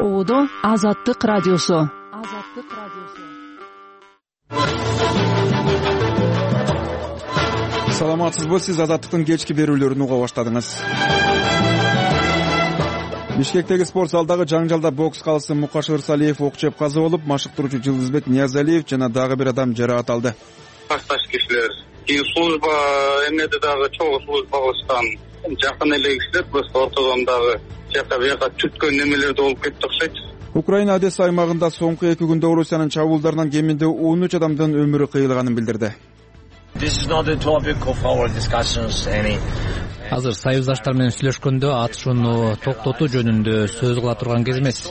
Оодо Азаттык радиосу. Саламатсызбы, сиз Азаттыктын кечки берүүлөрүн уга баштадыңыз. Бишкектеги спорт залдагы жаңжалда бокс калысы Мукаш Ырсалиев ок жеп каза болуп, машыктыруучу Жылдызбек Ниязалиев жана дагы бир адам жаракат алды. Башташ кишилер служба эмнеде дагы чогуу служба кылышкан жакын эле кишилер просто ортодон дагы жака бияка түткөн немелерде болуп кетти окшойт. Украина Одесса аймагында соңку 2 күндө Орусиянын чабуулдарынан кеминде 13 адамдын өмүрү кыйылганын билдирди. Азыр союздаштар менен сүйлөшкөндө атышууну токтотуу жөнүндө сөз кыла турган кез эмес.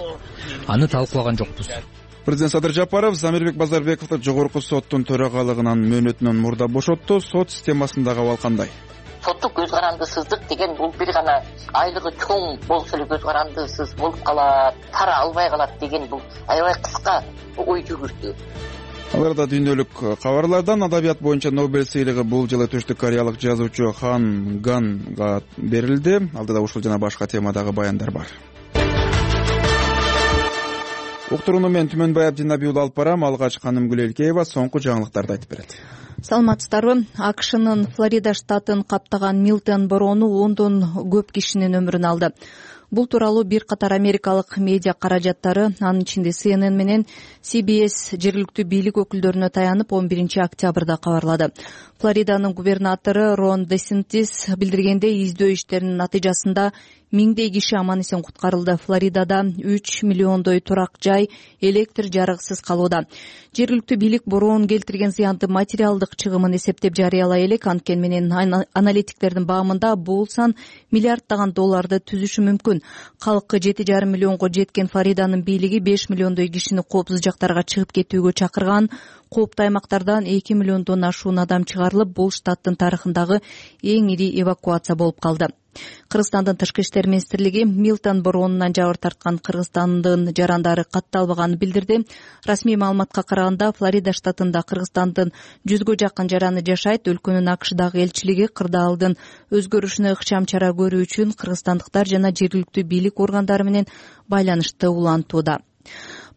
Аны талкуулаган жокпуз. Президент Садыр Жапаров Замирбек Базарбековду жогорку соттун төрагалыгынан мөөнөтүнөн мурда бошотту. Сот системасында абал кандай? Соттук көз карандысыздык деген бул бир гана айлыгы чоң болсо эле көз карандысыз болуп калат, пара албай калат деген бул аябай кыска ой жүгүртүү. Аларда дүйнөлүк кабарлардан адабият боюнча Нобель сыйлыгы бул жылы Түштүк Кореялык жазуучу Хан Ганга берилди. Алдыда ушул жана башка темадагы баяндар бар. Уктурууну мен Түмөнбай Абдинабий уулу алып барам. Алгач Канымгүл Элкеева соңку жаңылыктарды айтып берет. Саламатсыздарбы? АКШнын Флорида штатын каптаган Милтон бороону 10дон көп кишинин өмүрүн алды. Бул тууралуу бир катар америкалык медиа каражаттары, анын ичинде CNN менен CBS жергиликтүү бийлик өкүлдөрүнө таянып 11-октябрда кабарлады. Флориданын губернатору Рон Десентис билдиргендей, издөө иштеринин натыйжасында миңдей киши аман эсен куткарылды. Флоридада 3 миллиондой турак жай электр жарыгысыз калууда. Жергиликтүү бийлик бороонун келтирген зыянды материалдык чыгымын эсептеп жарыялай элек, анткени менен аналитиктердин баамында бул сан миллиарддаган долларды түзүшү мүмкүн. Калкы 7,5 миллионго жеткен Флориданын бийлиги 5 миллиондой кишини коопсуз жактарга чыгып кетүүгө чакырган. Кооптуу аймактардан 2 миллиондон ашуун адам чыгарылып, бул штаттын тарыхындагы эң ири эвакуация болуп калды. Кыргызстандын тышкы иштер министрлиги Милтон бороонунан жабыр тарткан Кыргызстандын жарандары катталбаганын билдирди. Расмий маалыматка караганда, Флорида штатында Кыргызстандын 100гө жакын жараны жашайт. Өлкөнүн АКШдагы элчилиги кырдаалдын өзгөрүшүнө ыкчам чара көрүү үчүн кыргызстандыктар жана жергиликтүү бийлик органдары менен байланышты улантууда.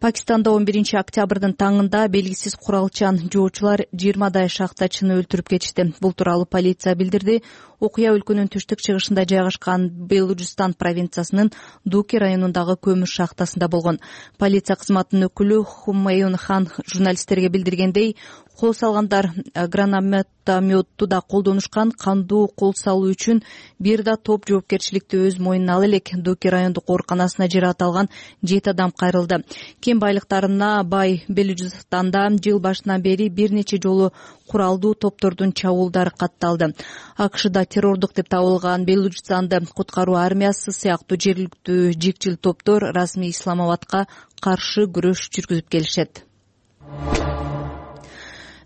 Пакистанда 11-октябрдын таңында белгисиз куралчан жоочулар 20дай шахтачыны өлтүрүп кетишти. Бул тууралуу полиция билдирди. Окуя өлкөнүн түштүк-чыгышында жайгашкан Белуджистан провинциясынын Дуки районундагы көмүр шахтасында болгон. Полиция кызматынын өкүлү Хуммейун Хан журналисттерге билдиргендей, кол салгандар гранатометту да колдонушкан. Кандуу кол салуу үчүн бир да топ жоопкерчиликти өз мойнуна ала элек. Дуки райондук ооруканасына жаракат алган 7 адам кайрылды. Кен байлыктарына бай Белуджистанда жыл башынан бери бир нече жолу куралдуу топтордун чабуулдары катталды. АКШда террордук деп табылган Белуджистанды куткаруу армиясы сыяктуу жергиликтүү жикчил топтор расмий Исламабадка каршы күрөш жүргүзүп келишет.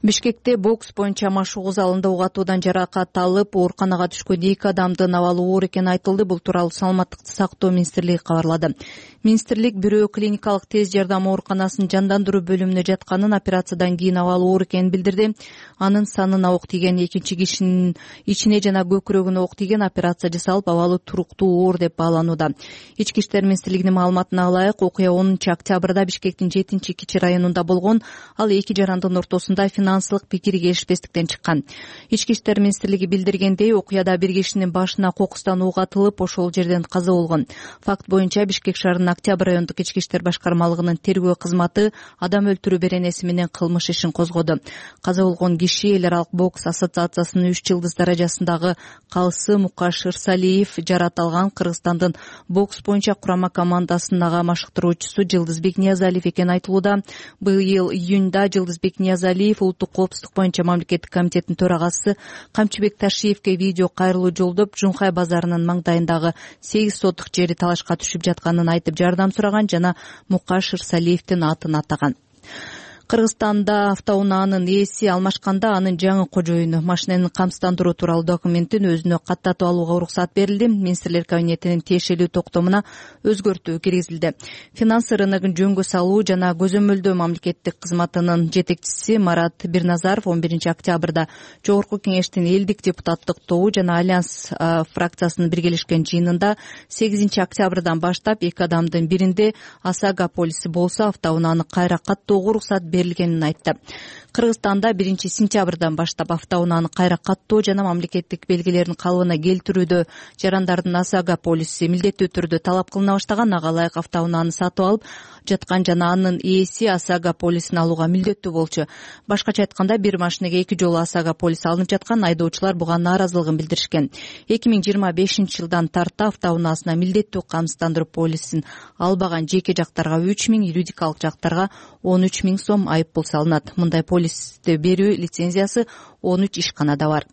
Бишкекте бокс боюнча машыгуу залында угатуудан жаракат алып, ооруканага түшкөн 2 адамдын абалы оор экени айтылды. Бул тууралуу Саламаттыкты сактоо министрлиги кабарлады. Министрлик бирөө клиникалык тез жардам ооруканасынын жандандыруу бөлүмүнө жатканын, операциядан кийин абалы оор экенин билдирди. Анын санына ок тийген, экинчи кишинин ичине жана көкүрөгүнө ок тийген, операция жасалып, абалы туруктуу оор деп бааланууда. Ички иштер министрлигинин маалыматына ылайык, окуя 10-октябрда Бишкектин 7-Кичи районунда болгон. Ал эки жарандын ортосунда финансылык пикир келишпестиктен чыккан. Ички иштер министрлиги билдиргендей, окуяда бир кишинин башына кокустан ок атылып, ошол жерден каза болгон. Факт боюнча Бишкек шаарынын Октябрь райондук ички иштер башкармалыгынын тергөө кызматы адам өлтүрүү беренеси менен кылмыш ишин козгоду. Каза болгон киши эл аралык бокс ассоциациясынын 3 жылдыз даражасындагы калысы Мукаш Ырсалиев, жаракат алган Кыргызстандын бокс боюнча курама командасынын машыктыруучусу Жылдызбек Ниязалиев экени айтылууда. Быйыл июнда Жылдызбек Ниязалиев улуттук коопсуздук боюнча мамлекеттик комитеттин төрагасы Камчыбек Ташиевке видео кайрылуу жолдоп, Жунхай базарынын маңдайындагы 8 сотук жери талашка түшүп жатканын айтып жардам сураган жана Мукаш Ырсалиевдин атын атаган. Кыргызстанда автоунаанын ээси алмашканда анын жаңы кожоюну машинени камсыздандыруу тууралуу документин өзүнө каттатып алууга уруксат берилди. Министрлер кабинетинин тиешелүү токтомуна өзгөртүү киргизилди. Финанс рыногун жөнгө салуу жана көзөмөлдөө мамлекеттик кызматынын жетекчиси Марат Бирназаров 11 октябрда Жогорку Кеңештин элдик депутаттык тобу жана Альянс фракциясынын биргелешкен жыйынында 8 октябрдан баштап эки адамдын биринде ОСАГО полиси болсо автоунааны кайра каттоого уруксат берилгенин айтты. Кыргызстанда 1 сентябрдан баштап автоунааны кайра каттоо жана мамлекеттик белгилерин калыбына келтирүүдө жарандардын ОСАГО полиси милдеттүү түрдө талап кылына баштаган. Ага ылайык автоунааны сатып алып жаткан жана анын ээси ОСАГО полисин алууга милдеттүү болчу. Башкача айтканда, бир машинеге 2 жолу ОСАГО полиси алынып жаткан. Айдоочулар буга нааразылыгын билдиришкен. 2025 жылдан тарта автоунаасына милдеттүү камсыздандыруу полисин албаган жеке жактарга 3 000, юридикалык жактарга 13 000 сом айып пул салынат. Мындай полисти берүү лицензиясы 13 ишканада бар.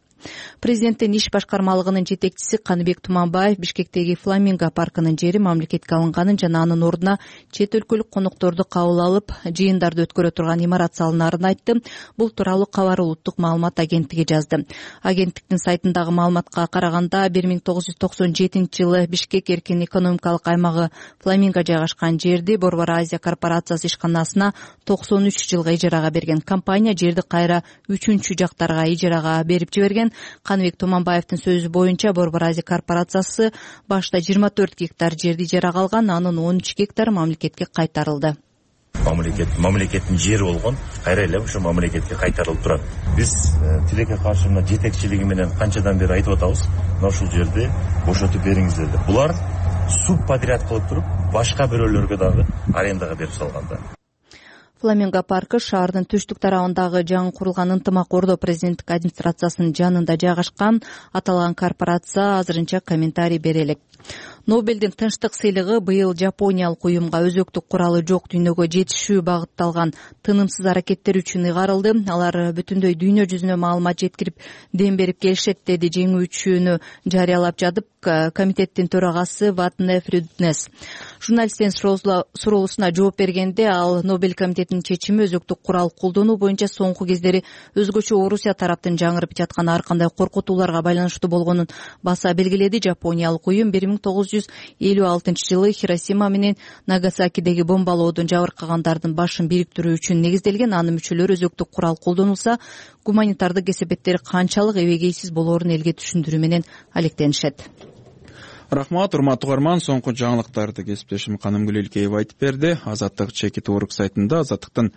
Президенттин иш башкармалыгынын жетекчиси Каныбек Туманбаев Бишкектеги Фламинго паркынын жери мамлекетке алынганын жана анын ордуна чет өлкөлүк конокторду кабыл алып жыйындарды өткөрө турган имарат салынаарын айтты. Бул тууралуу кабар улуттук маалымат агенттиги жазды. Агенттиктин сайтындагы маалыматка караганда 1997 жылы Бишкек эркин экономикалык аймагы Фламинго жайгашкан жерди Борбор Азия корпорациясы ишканасына 93 жылга ижарага берген. Компания жерди кайра 3 жактарга ижарага берип жиберген. Каныбек Туманбаевдин сөзү боюнча Борбор Азия корпорациясы башта 24 гектар жерди ижарага алган, анын 13 гектар мамлекетке кайтарылды. Мамлекеттин жери болгон, кайра эле ошо мамлекетке кайтарылып турат. Биз тилекке каршы мына жетекчилиги менен канчадан бери айтып атабыз, мына ушул жерди бошотуп бериңиздер деп. Булар субподряд кылып туруп, башка бирөөлөргө дагы арендага берип салганда. Фламинго паркы шаардын түштүк тарабындагы жаңы курулган ынтымак ордо президенттик администрациясынын жанында жайгашкан. Аталган корпорация азырынча комментарий бере элек. Нобелдин тынчтык сыйлыгы быйыл жапониялык уюмга өзөктүк куралы жок дүйнөгө жетишүү багытталган тынымсыз аракеттер үчүн ыйгарылды. Алар бүтүндөй дүйнө жүзүнө маалымат жеткирип, дем берип келишет, деди жеңүүчүнү жарыялап жатып комитеттин төрагасы Ватне Фрюднес. Журналисттин суроосуна жооп бергенде ал Нобель комитетинин чечими өзөктүк курал колдонуу боюнча соңку кездери өзгөчө Орусия тараптын жаңырып жаткан ар кандай коркутууларга байланыштуу болгонун баса белгиледи. Жапониялык уюм 1956 жылы Хиросима менен Нагасакидеги бомбалоодон жабыркагандардын башын бириктирүү үчүн негизделген. Анын мүчөлөрү өзөктүк курал колдонулса, гуманитардык кесепеттер канчалык эбегейсиз болоорун элге түшүндүрүү менен алектенишет. Рахмат, урматтуу угарман. Соңку жаңылыктарды кесиптешим Канымгүл Илкеева айтып берди. Азаттык чекит орг сайтында Азаттыктын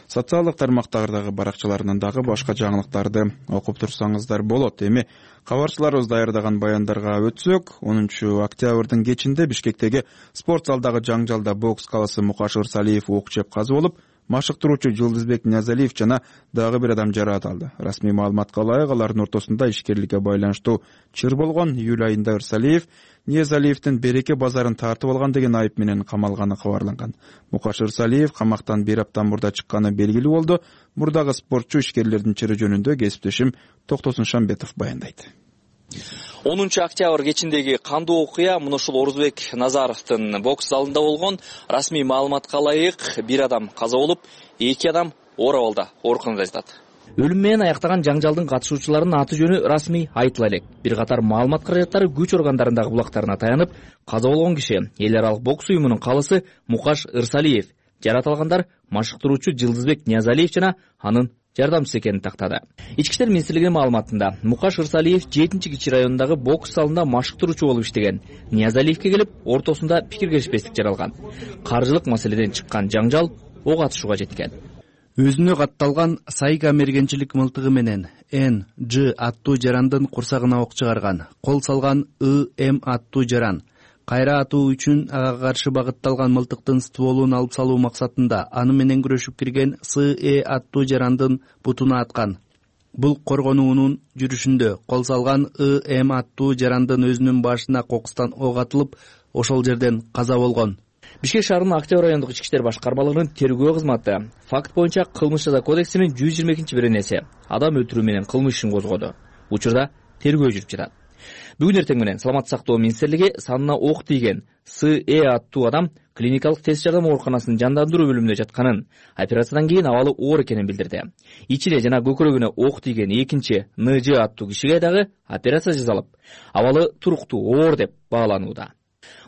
социалдык тармактардагы баракчаларынан дагы башка жаңылыктарды окуп турсаңыздар болот. Эми кабарчыларыбыз даярдаган баяндарга өтсөк, 10 октябрдын кечинде Бишкектеги спорт залдагы жаңжалда бокс каласы Мукаш Ырсалиев ок жеп каза болуп, машыктыруучу Жылдызбек Ниязалиев жана дагы бир адам жараат алды. Расмий маалыматка ылайык, алардын ортосунда ишкерликке байланыштуу чыр болгон. Июль айында Ырсалиев Ниязалиевдин береке базарын тартып алган деген айып менен камалганы кабарланган. Мукаш Ырсалиев камактан 1 аптан мурда чыкканы белгилүү болду. Мурдагы спортчу ишкерлердин чыры жөнүндө кесиптешим Токтосун Шамбетов баяндайт. 10 октябрь кечиндеги кандуу окуя мына ушул Орузбек Назаровдун бокс залында болгон. Расмий маалыматка ылайык, 1 адам каза болуп, 2 адам оор абалда ооруканада жатат. Өлүм менен аяктаган жаңжалдын катышуучуларынын аты жөнү расмий айтыла элек. Бир катар маалымат каражаттары күч органдарындагы булактарына таянып, каза болгон киши эл аралык бокс уюмунун калысы Мукаш Ырсалиев, жарат алгандар машыктыруучу Жылдызбек Ниязалиев жана анын жардамчысы экенин тактады. Ички иштер министрлигинин маалыматында Мукаш Ырсалиев 7-Кичи районундагы бокс залында машыктыруучу болуп иштеген. Ниязалиевке келип, ортосунда пикир келишпестик жаралган. Каржылык маселеден чыккан жаңжал ок атышууга жеткен. Өзүнө катталган Сайга мергенчилик мылтыгы менен Н.Ж. аттуу жарандын курсагына ок чыгарган. Кол салган И.М. аттуу жаран кайра атуу үчүн ага каршы багытталган мылтыктын стволун алып салуу максатында аны менен күрөшүп кирген С.Э. аттуу жарандын бутуна аткан. Бул коргонуунун жүрүшүндө кол салган И.М. аттуу жарандын өзүнүн башына кокустан ок атылып, ошол жерден каза болгон. Бишкек шаарынын Октябрь райондук ички иштер башкармалыгынын тергөө кызматы факт боюнча кылмыш жаза кодексинин 122-беренеси адам өлтүрүү менен кылмыш ишин козгоду. Учурда тергөө жүрүп жатат. Бүгүн эртең менен Саламаттык сактоо министрлиги санына ок тийген С.Э. аттуу адам клиникалык тест жардам ооруканасынын жандандыруу бөлүмүндө жатканын, операциядан кийин абалы оор экенин билдирди. Ичине жана көкүрөгүнө ок тийген экинчи НЖ аттуу кишиге дагы операция жасалып, абалы туруктуу оор деп бааланууда.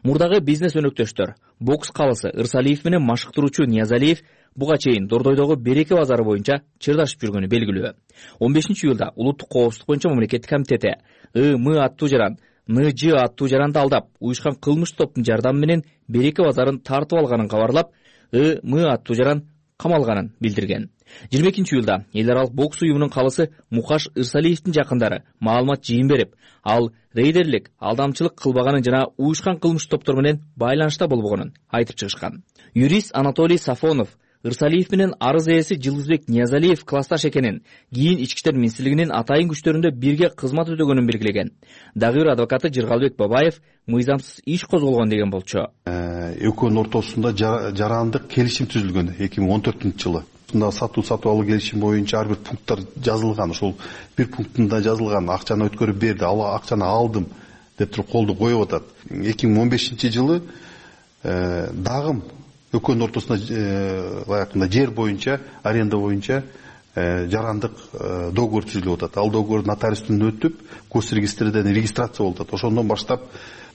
Мурдагы бизнес өнөктөштөр бокс калысы Ырсалиев менен машыктыруучу Ниязалиев буга чейин Дордойдогу Береке базары боюнча чырдашып жүргөнү белгилүү. 15-июлда Улуттук коопсуздук боюнча мамлекеттик комитети ым аттуу жаран, НЖ аттуу жаранды алдап, уюшкан кылмыш топтун жардамы менен Береке базарын тартып алганын кабарлап, ым аттуу жаран камалганын билдирген. 22-июлда эл аралык бокс уюмунун калысы Мукаш Ырсалиевдин жакындары маалымат жыйын берип, ал рейдерлик, алдамчылык кылбаганын жана уюшкан кылмыш топтор менен байланышта болбогонун айтып чыгышкан. Юрист Анатолий Сафонов Ырсалиев менен арыз ээси Жылдызбек Ниязалиев классташ экенин, кийин ички иштер министрлигинин атайын күчтөрүндө бирге кызмат өтөгөнүн белгилеген. Дагы бир адвокаты Жыргалбек Бабаев мыйзамсыз иш козголгон деген болчу. Экөөнүн ортосунда жарандык келишим түзүлгөн 2014-жылы. Сатуу алуу келишим боюнча ар бир пункттар жазылган. Ошол бир пунктунда жазылган акчаны өткөрүп берди, акчаны алдым деп туруп колду коюп атат. 2015-жылы дагы экөөнүн ортосунда лайыкында жер боюнча, аренда боюнча жарандык договор түзүлүп атат. Ал договор нотариустан өтүп, госрегистрден регистрация болуп атат. Ошондон баштап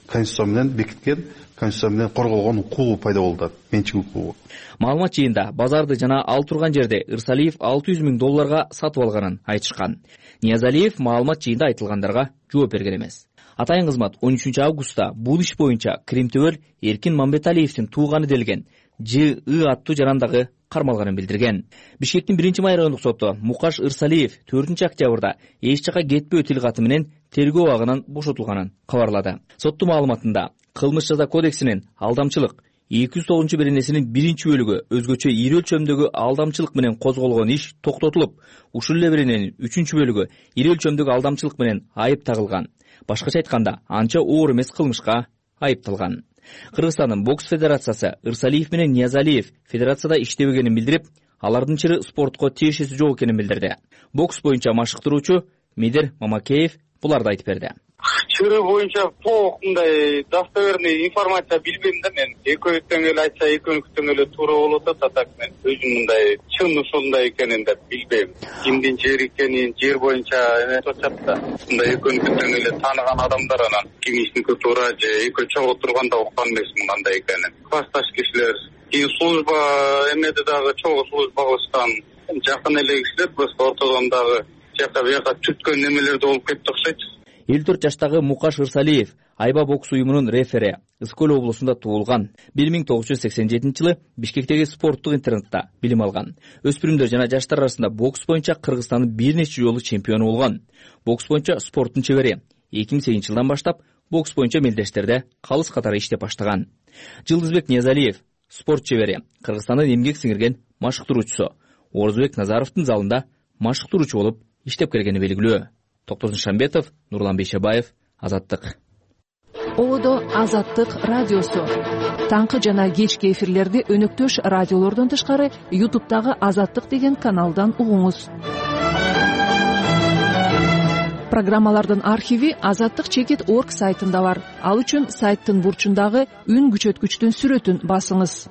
Конституция менен бекиткен, Конституция менен корголгон укугу пайда болуп атат, менчик укугу. Маалымат жыйында базарды жана ал турган жерде Ырсалиев $600,000 сатып алганын айтышкан. Ниязалиев маалымат жыйында айтылгандарга жооп берген эмес. Атайын кызмат 13-августта бул иш боюнча Кримтөбөл Эркин Мамбеталиевдин тууганы делген Ж аттуу жарандагы кармалганын билдирген. Бишкектин 1-май райондук соту Мукаш Ырсалиев 4-октябрда эч жака кетпөө тил каты менен тергөө абагынан бошотулганын кабарлады. Соттун маалыматында Кылмыш жаза кодексинин алдамчылык 209-беренесинин 1-бөлүгү өзгөчө ири өлчөмдөгү алдамчылык менен козголгон иш токтотулуп, ушул эле берененин 3-бөлүгү ири өлчөмдөгү алдамчылык менен айып тагылган. Башкача айтканда, анча оор эмес кылмышка айыпталган. Кыргызстандын бокс федерациясы Ырсалиев менен Ниязалиев федерацияда иштебегенин билдирип, алардын чыры спортко тиешеси жок экенин билдирди. Бокс боюнча машыктыруучу Медер Мамакеев буларды айтып берди. Чыры боюнча толук достоверный информация билбейм да мен. Экөөдөн эле айтса, экөөнүктөн эле туура болот атат, так мен өзүм мындай чын ушундай экенин деп билбейм. Кимдин жери экенин, жер боюнча эме чатат да. Мындай экөөнүктөн эле тааныган адамдар анан кимисники туура же экөө чогуу турганда уккан эмесмин кандай экенин. Классташ кишилер, кийин служба эмеде дагы чогуу служба кылышкан жакын эле кишилер, просто ортодон дагы жака бияка түткөн немелерде болуп кетти окшойт. 54 жаштагы Мукаш Ырсалиев Айба бокс уюмунун рефери, Ыскөл облусунда туулган. 1987-жылы Бишкектеги спорттук интернатта билим алган. Өспүрүмдөр жана жаштар арасында бокс боюнча Кыргызстандын бир нече жолу чемпиону болгон. Бокс боюнча спорттун чебери. 2008-жылдан баштап бокс боюнча мелдештерде калыс катары иштеп баштаган. Жылдызбек Ниязалиев спорт чебери, Кыргызстандын эмгек сиңирген машыктыруучусу. Орузбек Назаровдун залында машыктыруучу болуп иштеп келгени белгилүү. Токтозун Шамбетов, Нурлан Бейшебаев, Азаттык. Одо Азаттык радиосу. Таңкы жана кечки эфирлерди өнөктөш радиолордон тышкары YouTube'дагы Азаттык деген каналдан угуңуз. Программалардын архиви azattik.org сайтында бар. Ал үчүн сайттын бурчундагы үн күчөткүчтүн сүрөтүн басыңыз.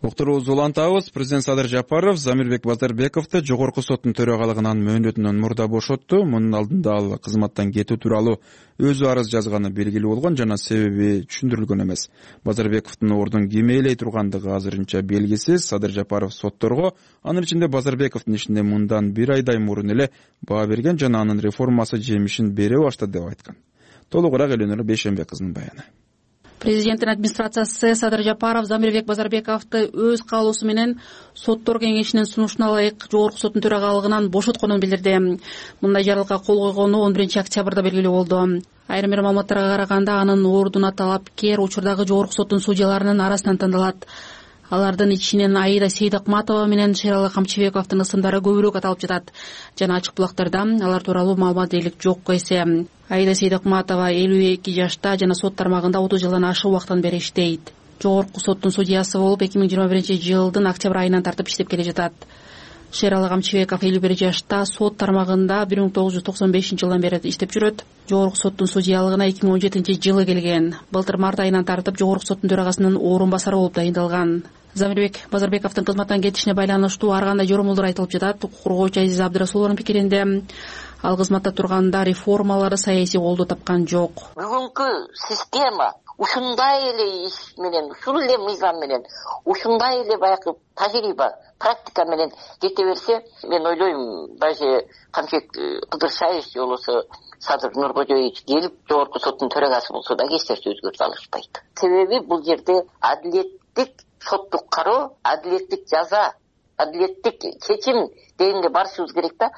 Уктуруубузду улантабыз. Президент Садыр Жапаров Замирбек Базарбековду жогорку соттун төрагалыгынан мөөнөтүнөн мурда бошотту. Мунун алдында ал кызматтан кетүү тууралуу өзү арыз жазганы белгилүү болгон жана себеби түшүндүрүлгөн эмес. Базарбековдун ордун ким ээлей тургандыгы азырынча белгисиз. Садыр Жапаров сотторго анын ичинде Базарбековдун ишине мындан 1 айдай мурун эле баа берген жана анын реформасы жемишин бере баштады деп айткан. Толугураак Элөнөр Бейшембек кызынын баяны. Президенттин администрациясы Садыр Жапаров Замирбек Базарбековду өз каалоосу менен соттор кеңешинин сунушуна ылайык жогорку соттун төрагалыгынан бошотконун билдирди. Мындай жарлыкка кол койгону 11-октябрда белгилүү болду. Айрым бир маалыматтарга караганда анын ордуна талапкер учурдагы жогорку соттун судьяларынын арасынан тандалат. Алардын ичинен Аида Сейдакматова менен Шералы Камчыбековдун ысымдары көбүрөөк аталып жатат. Жана ачык булактарда алар тууралуу маалымат дээрлик жок эсе. Аида Сейдакматова 52 жашта жана сот тармагында 30 жылдан ашык убакыттан бери иштейт. Жогорку соттун судьясы болуп 2021-жылдын октябрь айынан тартып иштеп келе жатат. Шералы Камчыбеков 51 жашта, сот тармагында 1995-жылдан бери иштеп жүрөт. Жогорку соттун судьялыгына 2017-жылы келген. Былтыр март айынан тартып жогорку соттун төрагасынын орун басары болуп дайындалган. Замирбек Базарбековдун кызматтан кетишине байланыштуу ар кандай жоромолдор айтылып жатат. Укук коргоочу Азиза Абдырасулованын пикиринде, ал кызматта турганда реформалары саясий колдоо тапкан жок. Бүгүнкү система ушундай эле иш менен, ушул эле мыйзам менен, ушундай эле баягы тажрыйба, практика менен кете берсе, мен ойлойм, даже Камчыбек Кыдыршаевич же болбосо Садыр Нуркожоевич келип жогорку соттун төрагасы болсо да эч нерсе өзгөртө алышпайт. Себеби бул жерде адилеттик соттук кароо, адилеттик жаза, адилеттик чечим дегенге барышыбыз керек да.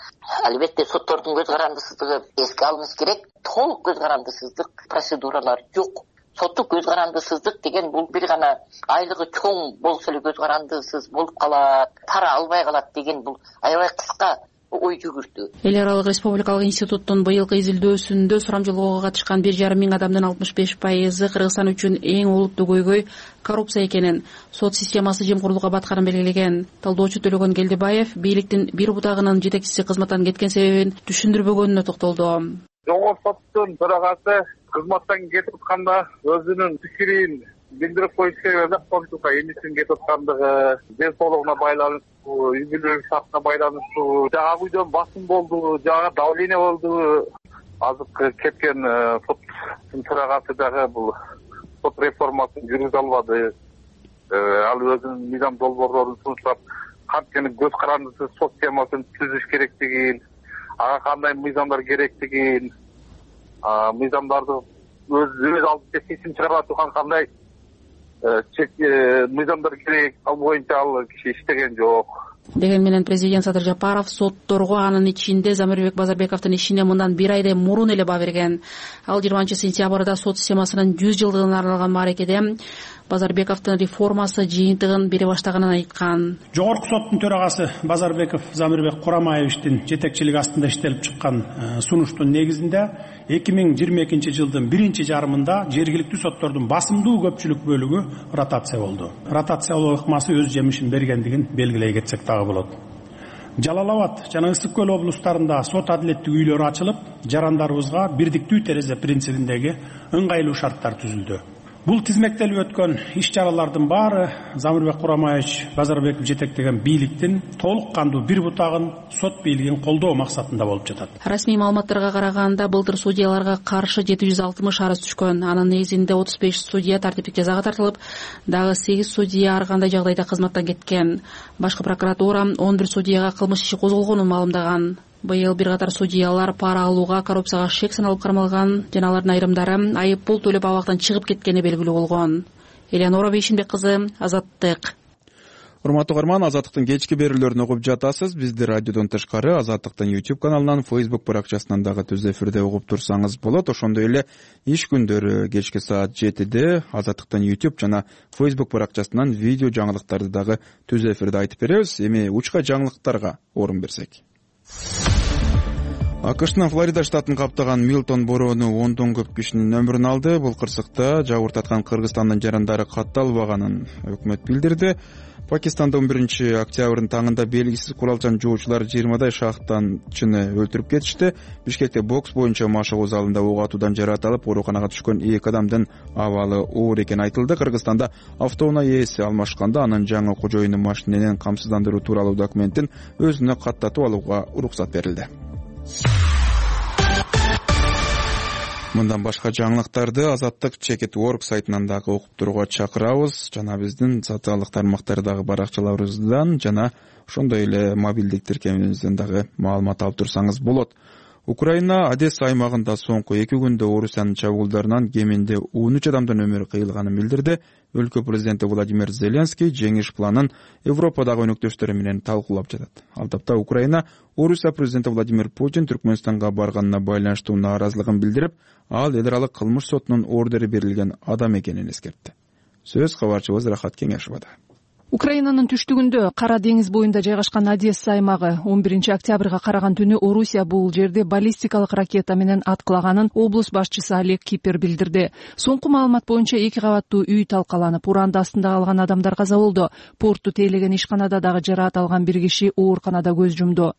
Албетте соттордун көз карандысыздыгы эске алыныш керек. Толук көз карандысыздык процедуралар жок. Соттук көз карандысыздык деген бул бир гана айлыгы чоң болсо эле көз карандысыз болуп калат, пара албай калат деген бул аябай кыска ой жүгүртүү. Эл аралык республикалык институттун быйылкы изилдөөсүндө сурамжылоого катышкан 1,5 миң адамдын 65% Кыргызстан үчүн эң олуттуу көйгөй коррупция экенин, сот системасы жемкорлукка батканын белгилеген. Талдоочу Төлөгөн Келдибаев бийликтин бир бутагынын жетекчиси кызматтан кеткен себебин түшүндүрбөгөнүнө токтолду. Жогорку соттун төрагасы кызматтан кетип атканда өзүнүн пикирин билдирип коюш керек эле, коомчулукка эмнесин кетип аткандыгы, ден соолугуна байланыштуу, үй бүлөлүк шартына байланыштуу, жагы үйдөн басым болду, жагы давление болду. Азыркы кеткен соттун төрагасы дагы бул сот реформасын жүргүзө албады. Ал өзүнүн мыйзам долбоорлорун сунуштап, кантип көз карандысыз сот системасын түзүш керектигин, ага кандай мыйзамдар керектигин, мыйзамдарды өз алдынча чечим чыгарып аткан кандай мыйзамдар керек, ал боюнча ал киши иштеген жок. Деген менен президент Садыр Жапаров сотторго, анын ичинде Замирбек Базарбековдун ишине мындан 1 айдай мурун эле баа берген. Ал 20-сентябрда сот системасынын 100 жылдыгына арналган мааракеде Базарбековдун реформасы жыйынтыгын бере баштаганын айткан. Жогорку соттун төрагасы Базарбеков Замирбек Курамаевичтин жетекчилиги астында иштелип чыккан сунуштун негизинде 2022-жылдын 1-жарымында жергиликтүү соттордун басымдуу көпчүлүк бөлүгү ротация болду. Ротациялоо ыкмасы өз жемишин бергендигин белгилей кетсек дагы болот. Жалал Абад жана Ысык Көл облустарында сот адилеттик үйлөрү ачылып, жарандарыбызга бирдиктүү терезе принцибиндеги ыңгайлуу шарттар түзүлдү. Бул тизмектелип өткөн иш-чаралардын баары Замирбек Курамаевич Базарбеков жетектеген бийликтин толук кандуу бир бутагын, сот бийлигин колдоо максатында болуп жатат. Расмий маалыматтарга караганда, былтыр судьяларга каршы 760 арыз түшкөн. Анын негизинде 35 судья тартиптик жазага тартылып, дагы 8 судья ар кандай жагдайда кызматтан кеткен. Башкы прокуратура 11 судьяга кылмыш иши козголгонун маалымдаган. Быйыл бир катар судьялар пара алууга, коррупцияга шек саналып кармалган, жана алардын айрымдары айып пул төлөп абактан чыгып кеткени белгилүү болгон. Элеонора Бейшинбек кызы, Азаттык. Урматтуу угарман, Азаттыктын кечки берүүлөрүн угуп жатасыз. Бизди радиодон тышкары Азаттыктын YouTube каналынан, Facebook баракчасынан дагы түз эфирде угуп турсаңыз болот. Ошондой эле иш күндөрү кечки саат 7-де Азаттыктын YouTube жана Facebook баракчасынан видео жаңылыктарды дагы түз эфирде айтып беребиз. Эми учка жаңылыктарга орун берсек. АКШнын Флорида штатын каптаган Милтон бороону ондон көп кишинин өмүрүн алды. Бул кырсыкта жабыртаткан Кыргызстандын жарандары катталбаганын өкмөт билдирди. Пакистанда 11-октябрдын таңында белгисиз куралчан жоочулар 20дай шахтанчыны өлтүрүп кетишти. Бишкекте бокс боюнча машыгуу залында ок атуудан жаракат алып, ооруканага түшкөн 2 адамдын абалы оор экени айтылды. Кыргызстанда автоунаа ээси алмашканда анын жаңы кожоюну машиненен камсыздандыруу тууралуу документин өзүнө каттатып алууга уруксат берилди. Мындан башка жаңылыктарды Азаттык Чекит.org сайтынан дагы окуп турууга чакырабыз. Жана биздин социалдык тармактардагы баракчаларыбыздан жана ошондой эле мобилдик тиркемебизден дагы маалымат алып турсаңыз болот. Украина Одесса аймагында соңку 2 күндө Орусиянын чабуулдарынан кеминде 13 адамдын өмүрү кыйылганын билдирди. Өлкө президенти Владимир Зеленский жеңиш планын Европадагы өнөктөштөрү менен талкуулап жатат. Ал тапта Украина Орусия президенти Владимир Путин Түркмөнстанга барганына байланыштуу нааразылыгын билдирип, ал эл аралык кылмыш сотунун ордери берилген адам экенин эскертти. Сөз кабарчыбыз Рахат Кеңешовада. Украинанын түштүгүндө Кара деңиз боюнда жайгашкан Одесса аймагы 11 октябрга караган түнү Орусия бул жерде баллистикалык ракета менен аткылаганын облус башчысы Олег Кипер билдирди. Соңку маалымат боюнча 2 кабаттуу үй талкаланып, уранда астында калган адамдар каза болду. Порту тейлеген ишканада дагы жараат алган бир киши ооруканада көз жумду.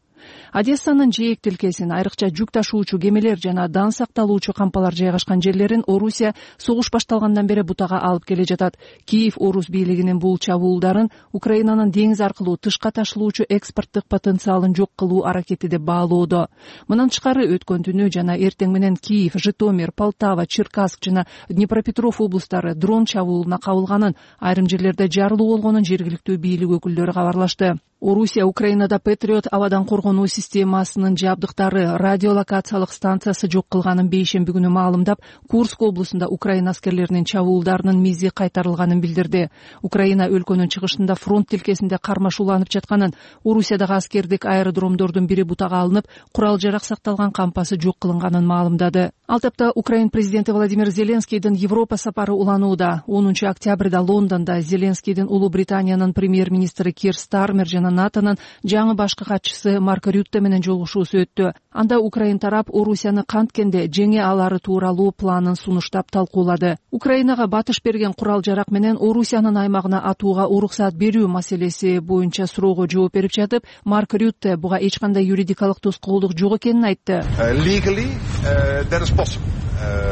Одессанын жээк тилкесин, айрыкча жүк ташуучу кемелер жана дан сакталуучу кампалар жайгашкан жерлерин Орусия согуш башталгандан бери бутага алып келе жатат. Киев Орус бийлигинин бул чабуулдарын Украинанын деңиз аркылуу тышка ташылуучу экспорттук потенциалын жок кылуу аракети деп баалоодо. Мындан тышкары өткөн түнү жана эртең менен Киев, Житомир, Полтава, Черкасск жана Днепропетров облустары дрон чабуулуна кабылганын, айрым жерлерде жарылуу болгонун жергиликтүү бийлик өкүлдөрү кабарлашты. Орусия Украинада Патриот абадан коргонуу системасынын жабдыктары, радиолокациялык станциясы жок кылганын бейшемби күнү маалымдап, Курск облусунда Украина аскерлеринин чабуулдарынын мизи кайтарылганын билдирди. Украина өлкөнүн чыгышында фронт тилкесинде кармашууланып жатканын, Орусиядагы аскердик аэродромдордун бири бутага алынып, курал жарак сакталган кампасы жок кылынганын маалымдады. Ал тапта Украин президенти Владимир Зеленскийдин Европа сапары уланууда. 10 октябрда Лондондо Зеленскийдин Улуу Британиянын премьер-министри Кир Стармер жана НАТОнун жаңы башкы катчысы Марк Рютте менен жолугушуусу өттү. Анда Украин тарап Орусияны канткенде жеңе алары тууралуу планын сунуштап талкуулады. Украинага батыш берген курал жарак менен Орусиянын аймагына атууга уруксат берүү маселеси боюнча суроого жооп берип жатып, Марк Рютте буга эч кандай юридикалык тоскоолдук жок экенин айтты.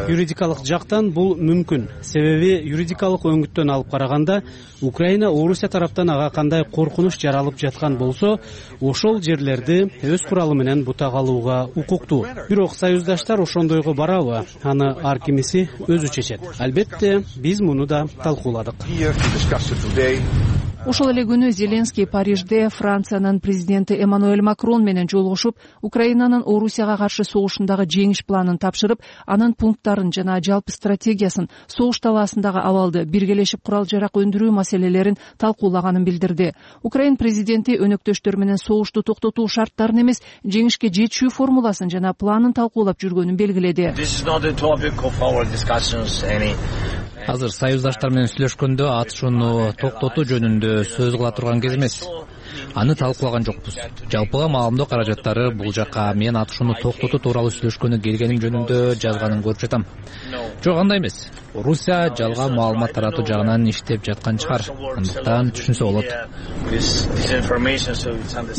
Юридикалык жактан бул мүмкүн. Себеби юридикалык өңүттөн алып караганда Украина Орусия тараптан ага кандай коркунуч жаралып жаткан болсо, ошол жерлерди өз куралы менен бутага алууга укуктуу. Бирок союздаштар ошондойго барабы? Аны ар кимиси өзү чечет. Албетте, биз муну да талкууладык. Ошол эле күнү Зеленский Парижде Франциянын президенти Эммануэль Макрон менен жолугушуп, Украинанын Орусияга каршы согушундагы жеңиш планын тапшырып, анын пункттарын жана жалпы стратегиясын, согуш талаасындагы абалды, биргелешип курал жарак өндүрүү маселелерин талкуулаганын билдирди. Украин президенти өнөктөштөр менен согушту токтотуу шарттарын эмес, жеңишке жетүү формуласын жана планын талкуулап жүргөнүн белгиледи. Азыр союздаштар менен сүйлөшкөндө атышууну токтотуу жөнүндө сөз кыла турган кез эмес. Аны талкуулаган жокпуз. Жалпыга маалымдоо каражаттары бул жакка мен атышууну токтотуу тууралуу сүйлөшкөнү келгеним жөнүндө жазганын көрүп жатам. Жок, андай эмес. Орусия жалган маалымат таратуу жагынан иштеп жаткан чыгар. Андыктан түшүнсө болот.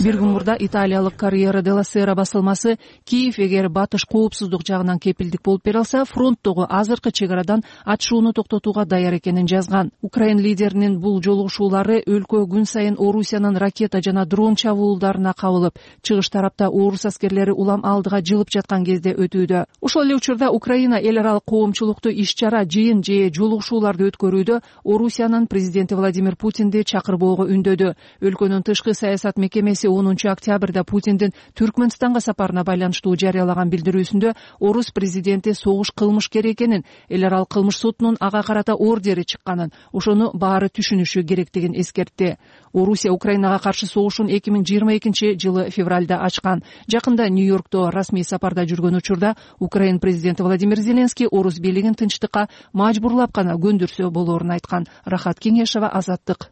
Бир күн мурда италиялык Corriere della Sera басылмасы Киев эгер батыш коопсуздук жагынан кепилдик болуп бере алса, фронттогу азыркы чек арадан атышууну токтотууга даяр экенин жазган. Украин лидеринин бул жолугушуулары өлкө күн сайын Орусиянын ракета жана дрон чабуулдарына кабылып, чыгыш тарапта орус аскерлери улам алдыга жылып жаткан кезде өтүүдө. Ошол эле учурда Украина эл аралык коомчулукту иш-чара, жыйын же жолугушууларды өткөрүүдө Орусиянын президенти Владимир Путинди чакырбоого үндөдү. Өлкөнүн тышкы саясат мекемеси 10 октябрда Путиндин Түркмөнстанга сапарына байланыштуу жарыялаган билдирүүсүндө орус президенти согуш кылмышкер экенин, эл аралык кылмыш сотунун ага карата ордери чыкканын, ошону баары түшүнүшү керектигин эскертти. Орусия Украинага каршы согушун 2022 жылы февралда ачкан. Жакында Нью-Йоркто расмий сапарда жүргөн учурда Украин президенти Владимир Зеленский орус бийлигин тынчтыкка мажбурлап гана көндүрсө болоорун айткан. Рахат Кеңешева, Азаттык.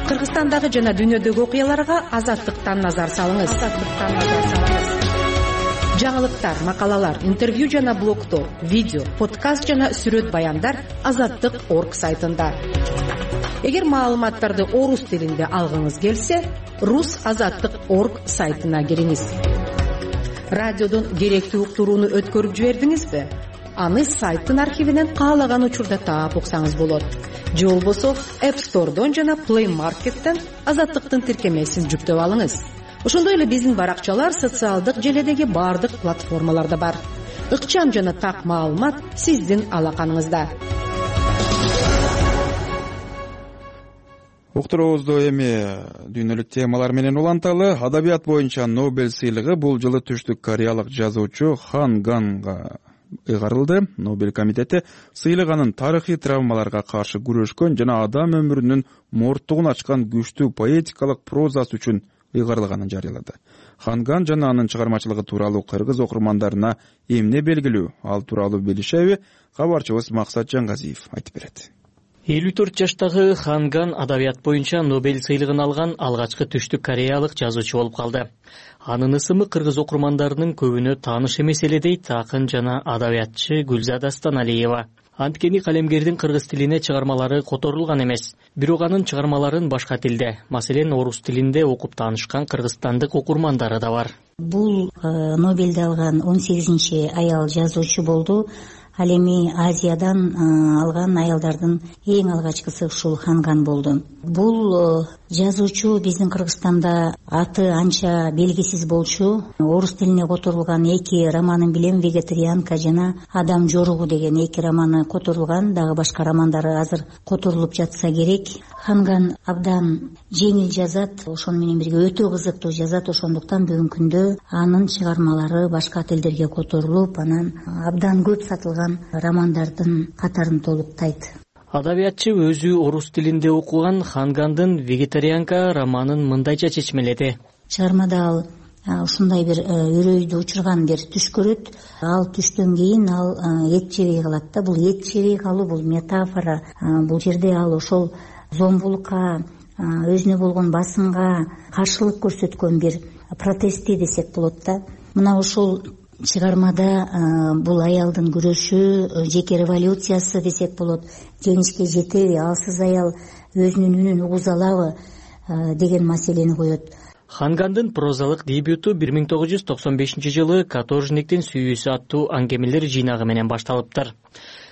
Кыргызстандагы жана дүйнөдөгү окуяларга Азаттыктан назар салыңыз. Жаңылыктар, макалалар, интервью жана блогдор, видео, подкаст жана сүрөт баяндар Азаттык.орг сайтында. Эгер маалыматтарды орус тилинде алгыңыз келсе, rusazаттык.орг сайтына кириңиз. Радиодон керектүү уктурууну өткөрүп жибердиңизби? Аны сайттын архивинен каалаган учурда таап уксаңыз болот. Же болбосо App Store'дон жана Play Market'тен Азаттыктын тиркемесин жүктөп алыңыз. Ошондой эле биздин баракчалар социалдык желедеги бардык платформаларда бар. Ыкчам жана так маалымат сиздин алаканыңызда. Уктуруубузду эми дүйнөлүк темалар менен уланталы. Адабият боюнча Нобель сыйлыгы бул жылы түштүк кореялык жазуучу Хан Ганга ыйгарылды. Нобель комитети сыйлык анын тарыхый травмаларга каршы күрөшкөн жана адам өмүрүнүн морттугун ачкан күчтүү поэтикалык прозасы үчүн ыйгарылганын жарыялады. Хан Ган жана анын чыгармачылыгы тууралуу кыргыз окурмандарына эмне белгилүү? Ал тууралуу билишеби? Кабарчыбыз Максат Жаңгазиев айтып берет. 54 жаштагы Ханган адабият боюнча Нобель сыйлыгын алган алгачкы түштүк кореялык жазуучу болуп калды. Анын ысымы кыргыз окурмандарынын көбүнө тааныш эмес эле дейт акын жана адабиятчы Гүлзада Станалиева. Анткени калемгердин кыргыз тилине чыгармалары которулган эмес. Бирок анын чыгармаларын башка тилде, маселен орус тилинде окуп таанышкан кыргызстандык окурмандары да бар. Бул Нобелди алган 18 аял жазуучу болду. Ал эми Азиядан алган аялдардын эң алгачкысы ушул Ханган болду. Бул жазуучу биздин Кыргызстанда аты анча белгисиз болчу. Орус тилине которулган 2 романын билем, Вегетарианка жана Адам жоругу деген 2 романы которулган, дагы башка романдары азыр которулуп жатса керек. Ханган абдан жеңил жазат, ошону менен бирге өтө кызыктуу жазат, ошондуктан бүгүнкү күндө анын чыгармалары башка тилдерге которулуп, анан абдан көп сатылган романдардын катарын толуктайт. Адабиятчы өзү орус тилинде окуган Хангандын Вегетарианка романын мындайча чечмеледи. Чыгармада ал ушундай бир үрөйдү учурган бир түш көрөт. Ал түштөн кийин ал эт жебей калат да. Бул эт жебей калуу бул метафора. Бул жерде ал ошол зомбулукка, өзүнө болгон басымга каршылык көрсөткөн бир протести десек болот да. Мына ошол чыгармада бул аялдын күрөшү, жеке революциясы десек болот, жеңишке жетеби, алсыз аял өзүнүн үнүн угуза алабы деген маселени коет. Хангандын прозалык дебюту 1995-жылы Каторжниктин сүйүүсү аттуу аңгемелер жыйнагы менен башталыптыр.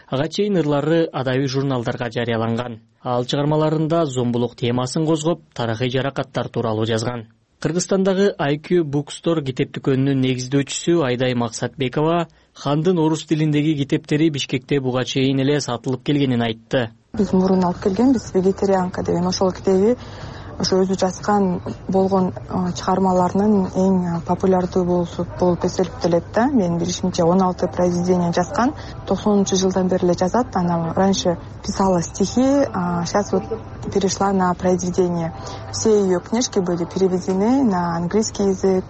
Ага чейин ырлары адабий журналдарга жарыяланган. Ал чыгармаларында зомбулук темасын козгоп, тарыхый жаракаттар тууралуу жазган. Кыргызстандагы IQ Bookstore китеп дүкөнүнүн негиздөөчүсү Айдай Максатбекова Хандын орус тилиндеги китептери Бишкекте буга чейин эле сатылып келгенин айтты. Биз мурун алып келгенбиз Вегетарианка деген ошол китеби ошо өзү жазган болгон чыгармаларынын эң популярдуу болуп эсептелет да. Мен билишимче 16 произведение жазган. 90-жылдан бери эле жазат. Она раньше писала стихи, сейчас вот перешла на произведения. Все ее книжки были переведены на английский язык,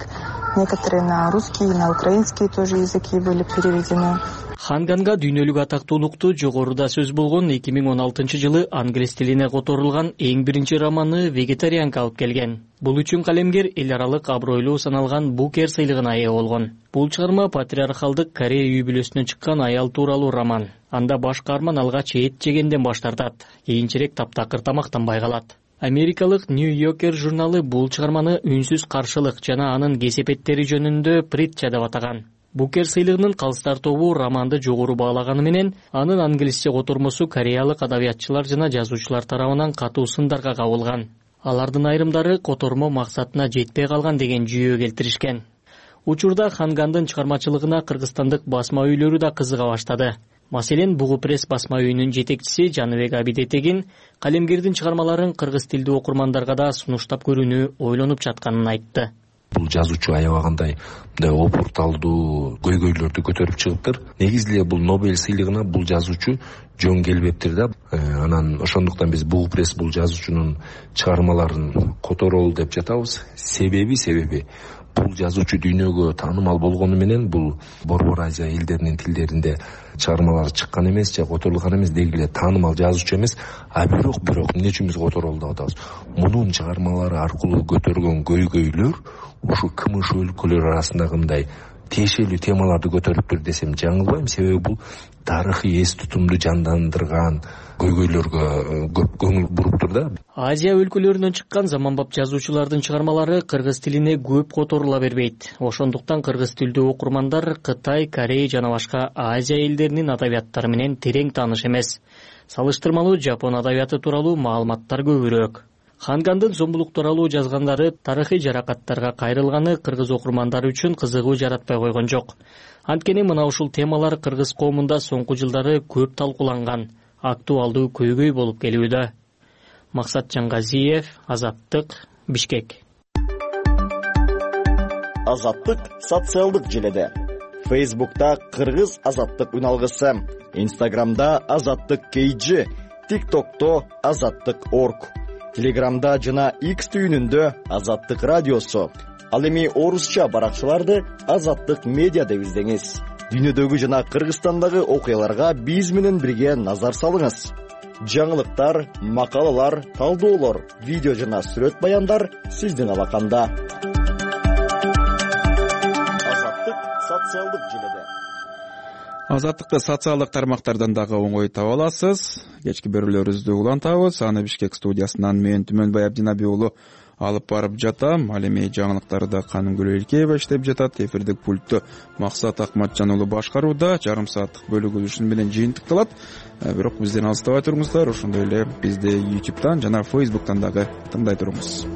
некоторые на русский, на украинский тоже языки были переведены. Ханганга дүйнөлүк атактуулукту жогоруда сөз болгон 2016-жылы англис тилине которулган эң биринчи романы Вегетарианка алып келген. Бул үчүн калемгер эл аралык абройлуу саналган Букер сыйлыгына ээ болгон. Бул чыгарма патриархалдык Корея үй бүлөсүнөн чыккан аял тууралуу роман. Анда баш каарман алгач эт жегенден баш тартат, кийинчерээк таптакыр тамактанбай калат. Америкалык New Yorker журналы бул чыгарманы үнсүз каршылык жана анын кесепеттери жөнүндө притча деп атаган. Букер сыйлыгынын калыстар тобу романды жогору баалаганы менен анын англисче котормосу кореялык адабиятчылар жана жазуучулар тарабынан катуу сындарга кабылган. Алардын айрымдары котормо максатына жетпей калган деген жүйө келтиришкен. Учурда Хангандын чыгармачылыгына кыргызстандык басма үйлөрү да кызыга баштады. Маселен, Бугу пресс басма үйүнүн жетекчиси Жаныбек Абидетегин калемгердин чыгармаларын кыргыз тилдүү окурмандарга да сунуштап көрүүнү ойлонуп жатканын айтты. Бул жазуучу аябагандай опурталдуу көйгөйлөрдү көтөрүп чыгыптыр. Негизи эле бул Нобель сыйлыгына бул жазуучу жөн келбептир да. Анан ошондуктан биз Бугу пресс бул жазуучунун чыгармаларын которолу деп жатабыз. Себеби бул жазуучу дүйнөгө таанымал болгону менен бул Борбор Азия элдеринин тилдеринде чыгармалары чыккан эмес же которулган эмес, деги эле таанымал жазуучу эмес. Бирок эмне үчүн биз которолу деп атабыз? Мунун чыгармалары аркылуу көтөргөн көйгөйлөр ушу кымыш өлкөлөр арасындагы мындай тиешелүү темаларды көтөрүптүр десем жаңылбайм. Себеби бул тарыхый эс тутумду жандандырган көйгөйлөргө көп көңүл буруптур да. Азия өлкөлөрүнөн чыккан заманбап жазуучулардын чыгармалары кыргыз тилине көп которула бербейт. Ошондуктан кыргыз тилдүү окурмандар Кытай, Корея жана башка Азия элдеринин адабияттары менен терең тааныш эмес. Салыштырмалуу Жапон адабияты тууралуу маалыматтар көбүрөөк. Хангандын зомбулук тууралуу жазгандары тарыхый жаракаттарга кайрылганы кыргыз окурмандары үчүн кызыгуу жаратпай койгон жок. Анткени мына ушул темалар кыргыз коомунда соңку жылдары көп талкууланган, актуалдуу көйгөй болуп келүүдө. Максат Жаңгазиев, Азаттык, Бишкек. Азаттык социалдык желеде. Facebook'ta Кыргыз Азаттык үналгысы, Instagram'da Азаттык KG, TikTok'ta Азаттык.org, Telegram'da жана X түйүнүндө Азаттык радиосу. Ал эми орусча баракчаларды Азаттык медиа деп издеңиз. Дүйнөдөгү жана Кыргызстандагы окуяларга биз менен бирге назар салыңыз. жаңылыктар, макалалар, талдоолор, видео жана сүрөт баяндар сиздин алаканда. Азаттык социалдык желеде. Азаттыкты социалдык тармактардан дагы оңой таба аласыз. Кечки берүүлөрүбүздү улантабыз. Аны Бишкек студиясынан мен Түмөнбай Абдинабий уулу алып барып жатам. Ал эми жаңылыктарды Канымгүл Элкеева иштеп жатат. Эфирдик пультту Максат Акматжан уулу башкарууда. Жарым сааттык бөлүгү ушун менен жыйынтыкталат. Бирок бизден алыстабай туруңуздар. Ошондой эле бизди YouTube'дан жана Facebook'тан дагы тыңдай туруңуз.